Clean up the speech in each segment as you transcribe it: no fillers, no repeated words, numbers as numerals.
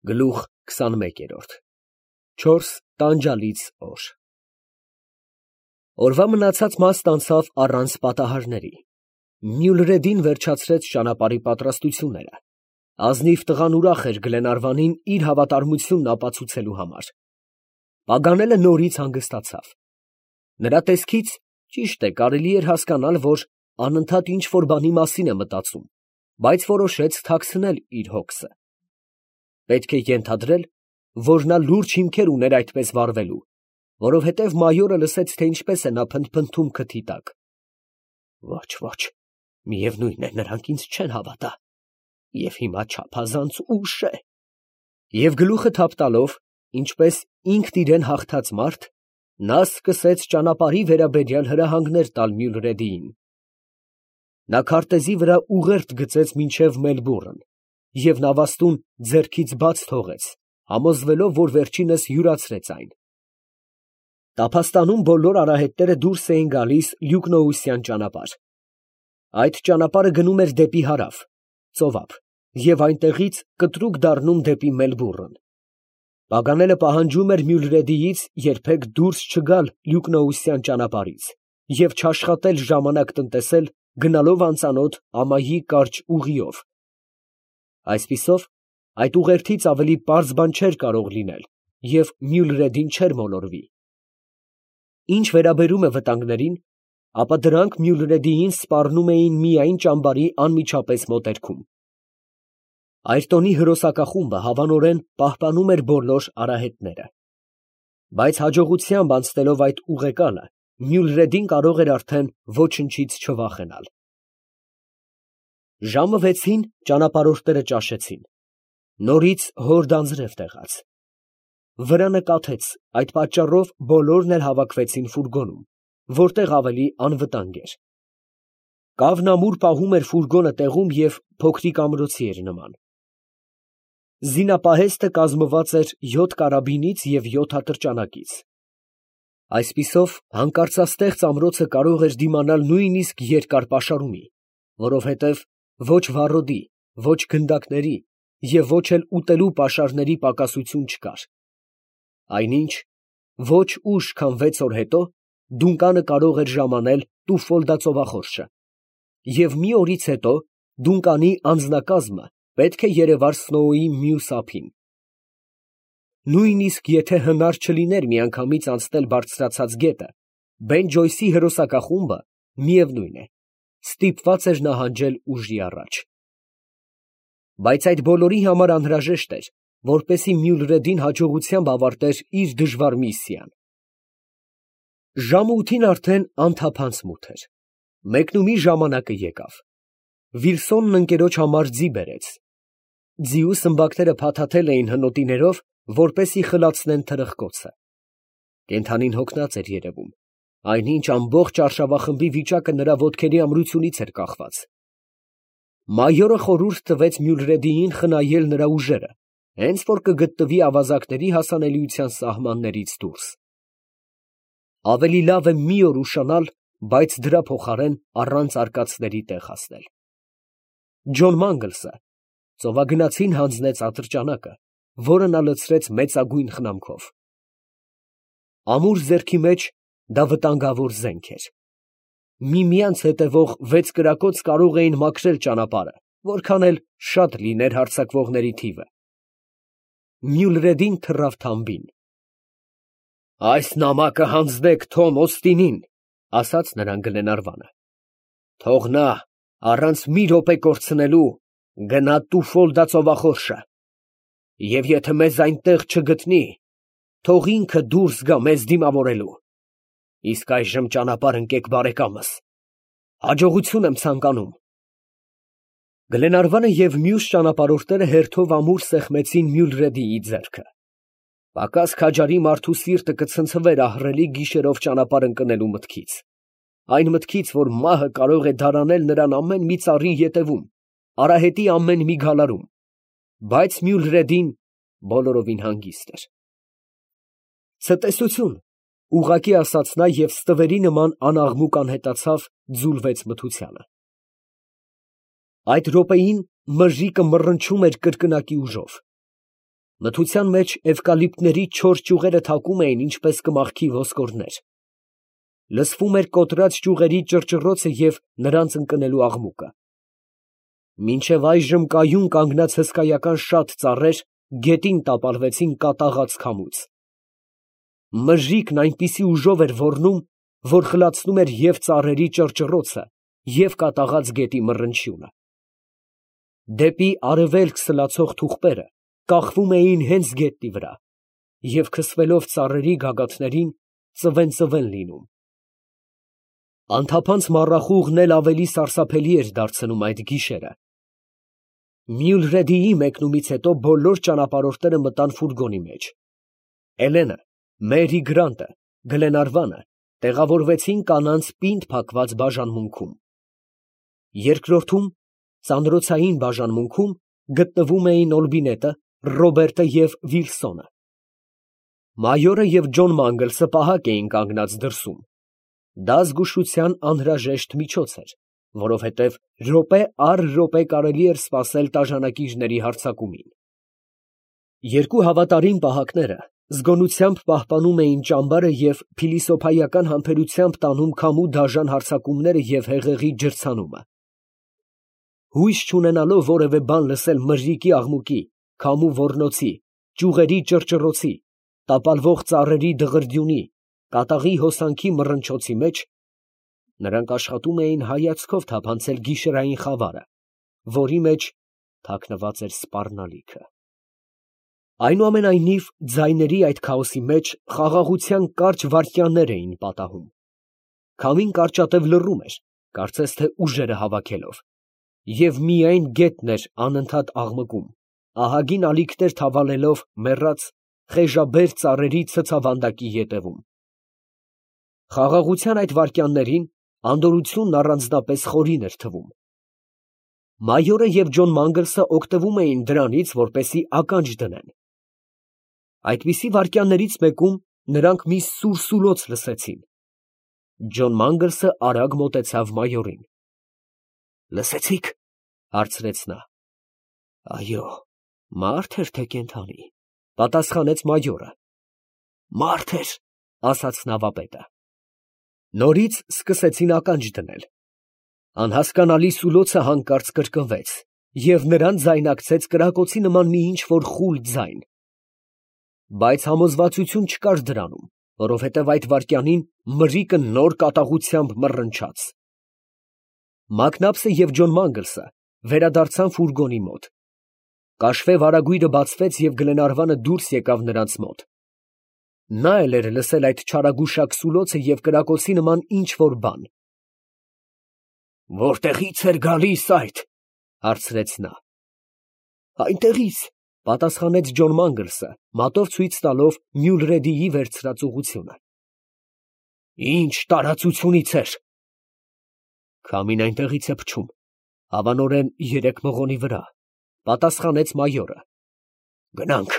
Գլուխ 21 4 տանջալից օր Օրվա մնացած մասն անցավ առանց պատահարների։ Մյուլրեդին վերջացրեց ճանապարհի պատրաստությունները։ Ազնիվ տղան ուրախ էր Գլենարվանին իր հավատարմությունն ապացուցելու համար։ Պագանելը նորից հանգստացավ։ Նրա տեսքից, ճիշտ է, կարելի էր հասկանալ, որ անընդհատ ինչ֊որ բանի մասին է մտածում, բայց որոշեց թաքցնել իր հոգսը։ Պետք է ենթադրել, որ նա լուրջ հիմքեր ուներ այդպես վարվելու, որովհետև մայորը լսեց, թե ինչպես է նա փնթփնթում քթի տակ։ Ոչ, միևնույն է, նրանք ինձ չեն հավատա, և հիմա չափազանց ուշ է։ Եվ գլուխը թափ տալով, ինչպես ինքն իրեն հաղթած մարդ, նա սկսեց ճանապարհի վերաբերյալ հրահանգներ տալ Մյուլրեդիին։ Նա քարտեզի վրա ուղերձ գծեց մինչև Մելբուրն և նավաստուն ձեռքից բաց թողեց, համոզվելով, որ վերջինս յուրացրեց այն։ Տափաստանում բոլոր արահետները դուրս էին գալիս Լյուկնոուսյան ճանապարհ։ Այդ ճանապարհը գնում էր դեպի հարավ, ծովափ, և այնտեղից կտրուկ դառնում դեպի Մելբուրն։ Պագանելը պահանջում էր Մյուլրեդիից երբեք դուրս չգալ Լյուկնոուսյան ճանապարհից և չաշխատել ժամանակ տնտեսել գնալով անծանոթ ամայի կարճ ուղիով։ Այսպիսով, այդ ուղերձից ավելի պարզ բան չէր կարող լինել, և Մյուլրեդին չէր մոլորվի։ Ինչ վերաբերում է վտանգներին, ապա դրանք Մյուլրեդիին սպառնում էին միայն ճամբարի անմիջապես մոտերքում։ Այրտոնի հրոսակախումբը հավանորեն պահպանում էր բոլոր արահետները։ Բայց հաջողությամբ անցնելով այդ ուղեկանը, Մյուլրեդին կարող էր արդեն ոչնչից չվախենալ։ Ժամը 6-ին ճանապարհորդները ճաշեցին։ Նորից հորդ անձրև տեղաց։ Վրանը կաթեց, այդ պատճառով բոլորն էլ հավաքվեցին ֆուրգոնում, որտեղ ավելի անվտանգ էր։ Կավն ամուր պահում էր ֆուրգոնը տեղում և փոքրիկ ամրոցի էր նման։ Զինապահեստը կազմված էր 7 կարաբինից և 7 ատրճանակից։ Այսպիսով, հանկարծաստեղծ ամրոցը կարող էր դիմանալ նույնիսկ երկար պաշարումի, որովհետև ոչ վառոդի, ոչ գնդակների և ոչ էլ ուտելու պաշարների պակասություն չկար։ Այնինչ, ոչ ուշ, քան 6 օր հետո, Դունկանը կարող էր ժամանել Տուֆոլդա ծովախորշը, և մի օրից հետո Դունկանի անձնակազմը պետք է երևար Սնոուի մյուս ափին։ Նույնիսկ եթե հնար չլիներ միանգամից անցնել բարձրացած գետը, Բեն Ջոյսի հրոսակախումբը, միևնույն է, ստիպված էր նահանջել ուժի առաջ։ Բայց այդ բոլորի համար անհրաժեշտ էր, որպեսզի Մյուլրեդին հաջողությամբ ավարտեր իր դժվար միսիան։ Ժամը 8-ին արդեն անթափանց մութ էր։ Մեկնումի ժամանակը եկավ։ Վիլսոնն ընկերոջ համար ձի բերեց։ Ձիու սմբակները փաթաթել էին հնոտիներով, որպեսզի խլացնեն թրխկոցը։ Կենդանին հոգնած էր երևում, այնինչ ամբողջ արշավախմբի վիճակը նրա ոտքերի ամրությունից էր կախված։ Մայորը խորհուրդ տվեց Մյուլրեդիին խնայել նրա ուժերը, հենց որ կգտնվի ավազակների հասանելիության սահմաններից դուրս։ Ավելի լավ է մի օր ուշանալ, բայց դրա փոխարեն առանց արկածների տեղ հասնել։ Ջոն Մանգլսը ծովագնացին հանձնեց ատրճանակը, որը նա լցրեց մեծագույն խնամքով։ Ամուր ձեռքի մեջ դա վտանգավոր զենք էր։ Միմյանց հետևող 6 կրակոց կարող էին մաքրել ճանապարհը, որքան էլ շատ լիներ հարձակվողների թիվը։ Մյուլրեդին թռավ թամբին։ «Այս նամակը հանձնեք Թոմ Օստինին», ֊ ասաց նրան Գլենարվանը։ «Թող նա առանց մի րոպե կորցնելու գնա Տուֆոլդա ծովախորշը, և եթե մեզ այնտեղ չգտնի, թող ինքը դուրս գա մեզ դիմավորելու։ Իսկ այժմ ճանապարհ ընկեք բարեկամս, հաջողություն եմ ցանկանում»։ Գլենարվանը և մյուս ճանապարհորդները հերթով ամուր սեղմեցին Մյուլրեդիի ձեռքը։ Պակաս քաջարի մարդու սիրտը կցնցվեր ահռելի գիշերով ճանապարհ ընկնելու մտքից, այն մտքից, որ մահը կարող է դարանել նրան ամեն մի ծառի ետևում, արահետի ամեն մի գալարում, բայց Մյուլրեդին բոլորովին հանգիստ էր։ «Ցտեսություն», ուղղակի ասաց նա և ստվերի նման անաղմուկ անհետացավ, ձուլվեց մթությանը։ Այդ րոպեին մրրիկը մռնչում էր կրկնակի ուժով։ Մթության մեջ էվկալիպտների չոր ճյուղերը թակում էին ինչպես կմախքի ոսկորներ. լսվում էր կոտրած ճյուղերի ճռճռոցը և նրանց ընկնելու աղմուկը։ Մինչև այժմ կայուն կանգնած հսկայական շատ ծառեր գետին տապալվեցին կատաղած քամուց։ Մժիկն այնպիսի ուժով էր ոռնում, որ խլացնում էր և ծառերի ճռճռոցը, և կատաղած գետի մռնչյունը։ Դեպի արևելք սլացող թուղպերը կախվում էին հենց գետնի վրա և քսվելով ծառերի գագաթներին ծվեն լինում։ Անթափանց մառախուղն էլ ավելի սարսափելի էր դարձնում այդ գիշերը։ Մյուլրեդիի մեկնումից հետո բոլոր ճանապարհորդները մտան ֆուրգոնի մեջ։ Էլենը, Մերի Գրանտը, Գլենարվանը տեղավորվեցին կանանց պինդ փակված բաժանմունքում։ Երկրորդում, ծանրոցային բաժանմունքում, գտնվում էին Օլբինետը, Ռոբերտը և Վիլսոնը։ Մայորը և Ջոն Մանգլսը պահակ էին կանգնած դրսում։ Դա զգուշության անհրաժեշտ միջոց էր, որովհետև րոպե առ րոպե կարելի էր սպասել տաժանակիչների հարձակումին։ Երկու հավատարիմ պահակները զգոնությամբ պահպանում էին ճամբարը և փիլիսոփայական համբերությամբ տանում քամու դաժան հարձակումները և հեղեղի ջրցանումը։ Հույս չունենալով որևէ բան լսել մրրիկի աղմուկի, քամու ոռնոցի, ճյուղերի ճռճռոցի, տապալվող ծառերի դղրդյունի, կատաղի հոսանքի մռնչոցի մեջ, նրանք աշխատում էին հայացքով թափանցել գիշերային խավարը, որի մեջ թաքնված էր սպառնալիքը։ Այնուամենայնիվ, ձայների այդ քաոսի մեջ խաղաղության կարճ վայրկյաններ էին պատահում։ Քամին կարճատև լռում էր, կարծես թե ուժերը հավաքելով, և միայն գետն էր անընդհատ աղմկում, ահագին ալիքներ թավալելով մեռած, խեժաբեր ծառերի ցցավանդակի ետևում։ Խաղաղության այդ վայրկյաններին անդորրությունն առանձնապես խորին էր թվում։ Մայորը և Ջոն Մանգլսը օգտվում էին դրանից, որպեսզի ականջ դնեն։ Այդպիսի վայրկյաններից մեկում նրանք մի սուրսուլոց լսեցին։ Ջոն Մանգլսը արագ մոտեցավ մայորին։ «Լսեցի՞ք», հարցրեց նա։ «Այո, մարդ էր թե կենդանի», պատասխանեց մայորը։ «Մարդ էր», ասաց նավապետը։ Նորից սկսեցին ականջ դնել։ Անհասկանալի սուլոցը հանկարծ կրկնվեց, և նրան ձայնակցեց կրակոցի նման մի ինչ֊որ խուլ ձայն։ Բայց համոզվածություն չկար դրանում, որովհետև այդ վայրկյանին մրրիկը նոր կատաղությամբ մռնչաց։ Մակնաբսը և Ջոն Մանգլսը վերադարձան ֆուրգոնի մոտ։ Կաշվե վարագույրը բացվեց և Գլենարվանը դուրս եկավ նրանց մոտ։ Նա էլ էր լսել այդ չարագուշակ սուլոցը և կրակոցի նման ինչ֊որ բան։ «Որտեղի՞ց էր գալիս այդ», հարցրեց նա։ «Այնտեղից», պատասխանեց Ջոն Մանգլսը, մատով ցույց տալով Մյուլրեդիի վերցրած ուղղությունը։ «Ինչ տարածությունից էր»։ «Քամին այնտեղից է փչում, հավանորեն երեք մղոնի վրա», պատասխանեց մայորը։ «Գնանք»,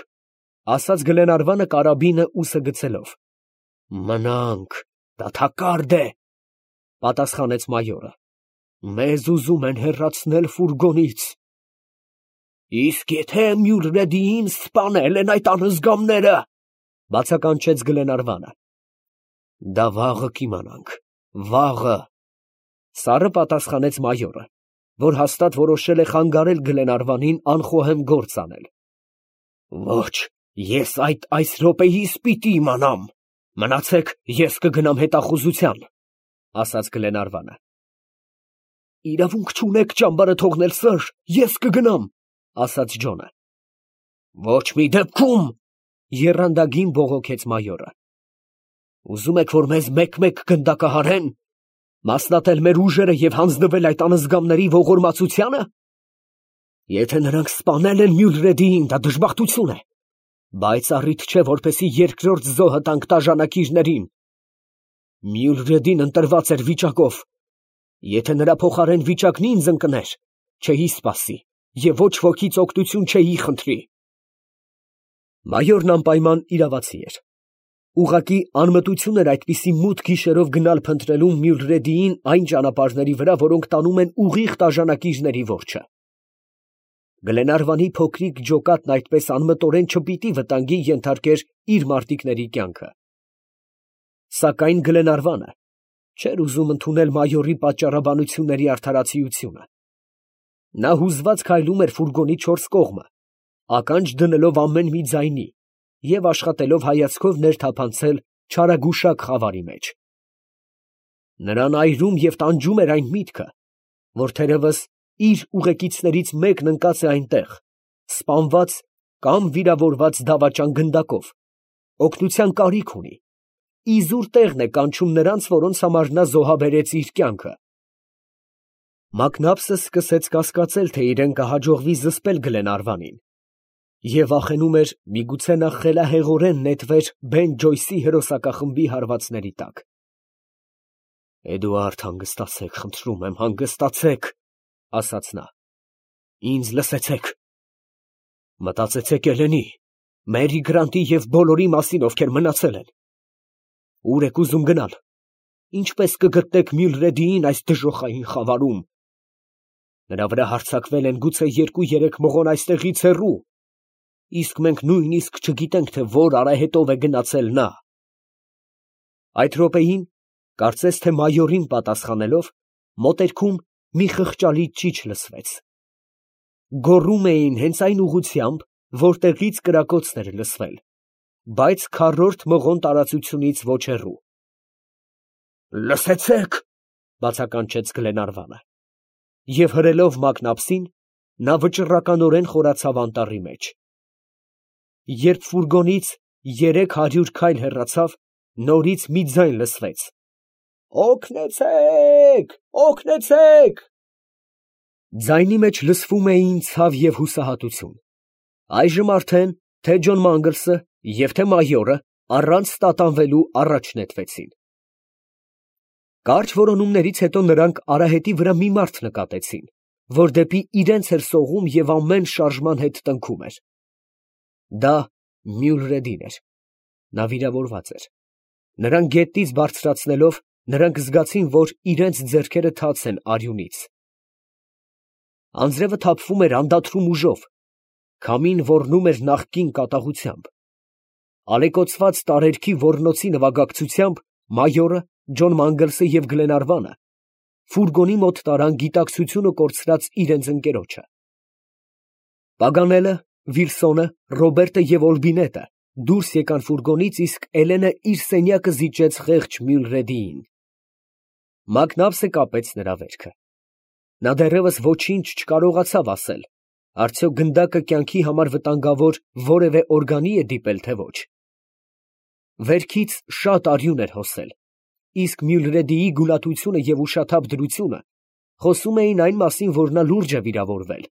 ասաց Գլենարվանը կարաբինը ուսը գցելով։ «Մնանք, դատակարդ է», պատասխանեց մայորը։ «Մեզ ուզում են հեռացնել ֆուրգոնից»։ «Իսկ եթե Մյուլրեդիին սպանել են այդ անհզգամները», բացականչեց Գլենարվանը։ «Դա վաղը կիմանանք, վաղը», սառը պատասխանեց մայորը, որ հաստատ որոշել է խանգարել Գլենարվանին անխոհեմ գործ անել։ «Ոչ, ես այս րոպեիս պիտի իմանամ։ Մնացեք, ես կգնամ հետախուզության», ասաց Գլենարվանը։ «Իրավունք չունեք ճամբարը թողնել, սըր, ես կգնամ», ասաց Ջոնը։ «Ոչ մի դեպքում», եռանդագին բողոքեց մայորը։ «Ուզում եք, որ մեզ մեկ֊մեկ գնդակահարեն, մասնատել մեր ուժերը և հանձնվել այդ անհզգամների ողորմածությանը։ Եթե նրանք սպանել են Մյուլրեդիին, դա դժբախտություն է, բայց առիթ չէ, որպեսզի երկրորդ զոհը տանք տաժանակիչներին։ Մյուլրեդին ընտրված էր վիճակով. եթե նրա փոխարեն վիճակն ինձ ընկներ, չէի սպասի և ոչ ոքից օգնություն չէի խնդրի»։ Մայորն անպայման իրավացի էր։ Ուղղակի անմտություն էր այդպիսի մութ գիշերով գնալ փնտրելու Մյուլրեդիին այն ճանապարհների վրա, որոնք տանում են ուղիղ տաժանակիչների որջը։ Գլենարվանի փոքրիկ ջոկատն այդպես անմտորեն չպիտի վտանգի ենթարկեր իր մարտիկների կյանքը։ Սակայն Գլենարվանը չէր ուզում ընդունել մայորի պատճառաբանությունների արդարացիությունը։ Նա հուզված քայլում էր ֆուրգոնի չորս կողմը, ականջ դնելով ամեն մի ձայնի և աշխատելով հայացքով ներթափանցել չարագուշակ խավարի մեջ։ Նրան այրում և տանջում էր այն միտքը, որ թերևս իր ուղեկիցներից մեկն ընկած է այնտեղ, սպանված կամ վիրավորված դավաճան գնդակով, օգնության կարիք ունի, իզուր տեղն է կանչում նրանց, որոնց համար նա զոհաբերեց իր կյանքը։ Մակնաբսը սկսեց կասկածել, թե իրեն կհաջողվի զսպել Գլենարվանին, և վախենում էր, միգուցե նա խելահեղորեն նետվեր Բեն Ջոյսի հրոսակախմբի հարվածների տակ։ «Էդուարդ, հանգստացեք, խնդրում եմ, հանգստացեք», ֊ ասաց նա։ «Ինձ լսեցեք։ Մտածեցեք Էլենի, Մերի Գրանտի և բոլորի մասին, ովքեր մնացել են։ Ո՞ւր եք ուզում գնալ։ Ինչպես կգտնեք Մյուլրեդիին այս դժոխային խավարում։ Նրա վրա հարձակվել են գուցե 2-3 մղոն այստեղից հեռու, իսկ մենք նույնիսկ չգիտենք, թե որ արահետով է գնացել նա»։ Այդ րոպեին, կարծես թե մայորին պատասխանելով, մոտերքում մի խղճալի ճիչ լսվեց։ Գոռում էին հենց այն ուղղությամբ, որտեղից կրակոցն էր լսվել, բայց քառորդ մղոն տարածությունից ոչ հեռու։ «Լսեցե՞ք», ֊ բացականչեց Գլենարվանը, և հրելով մակնաբսին, նա վճռականորեն խորացավ անտառի մեջ։ Երբ ֆուրգոնից 300 քայլ հեռացավ, նորից մի ձայն լսվեց. «Օգնեցե՛ք, օգնեցե՛ք»։ Ձայնի մեջ լսվում էին ցավ և հուսահատություն։ Այժմ արդեն թե Ջոն Մանգլսը և թե մայորը առանց տատանվելու առաջ նետվեցին։ Կարճ որոնումներից հետո նրանք արահետի վրա մի մարդ նկատեցին, որ դեպի իրենց էր սողում և ամեն շարժման հետ տնքում էր։ Դա Մյուլրեդին էր։ Նա վիրավորված էր։ Նրան գետնից բարձրացնելով, նրանք զգացին, որ իրենց ձեռքերը թաց են արյունից։ Անձրևը թափվում էր անդադրում ուժով, քամին ոռնում էր նախկին կատաղությամբ։ Ալեկոծված տարերքի ոռնոցի նվագակցությամբ մայորը, Ջոն Մանգլսը և Գլենարվանը ֆուրգոնի մոտ տարան գիտակցությունը կորցրած իրենց ընկերոջը։ Պագանելը, Վիլսոնը, Ռոբերտը և Օլբինետը դուրս եկան ֆուրգոնից, իսկ Էլենը իր սենյակը զիջեց խեղճ Մյուլրեդիին։ Մակնաբսը կապեց նրա վերքը։ Նա դեռևս ոչինչ չկարողացավ ասել, արդյոք գնդակը կյանքի համար վտանգավոր որևէ օրգանի է դիպել, թե ոչ։ Վերքից շատ արյուն էր հոսել, իսկ Մյուլրեդիի գուլատությունը և ուշաթափ դրությունը խոսում էին այն մասին, որ նա լուրջ է վիրավորվել